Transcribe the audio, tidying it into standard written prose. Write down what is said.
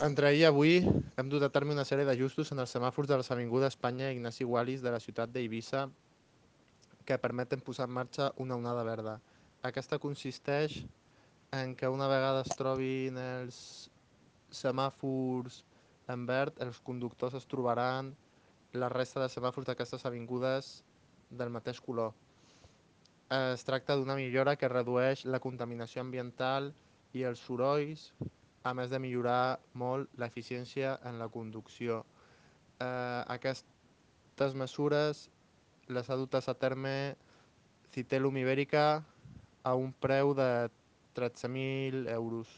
Entre ahir i avui hem dut a terme una sèrie d'ajustos en els semàfors de les avingudes Espanya i Ignasi Wallis de la ciutat d'Eivissa que permeten posar en marxa una onada verda. Aquesta consisteix en que una vegada es trobin els semàfors en verd, els conductors es trobaran la resta de semàfors d'aquestes avingudes del mateix color. Es tracta d'una millora que redueix la contaminació ambiental i els sorolls, a més de millorar molt l'eficiència en la conducció. Aquestes mesures les ha dutes a terme Citelum Ibérica a un preu de 13.000 euros.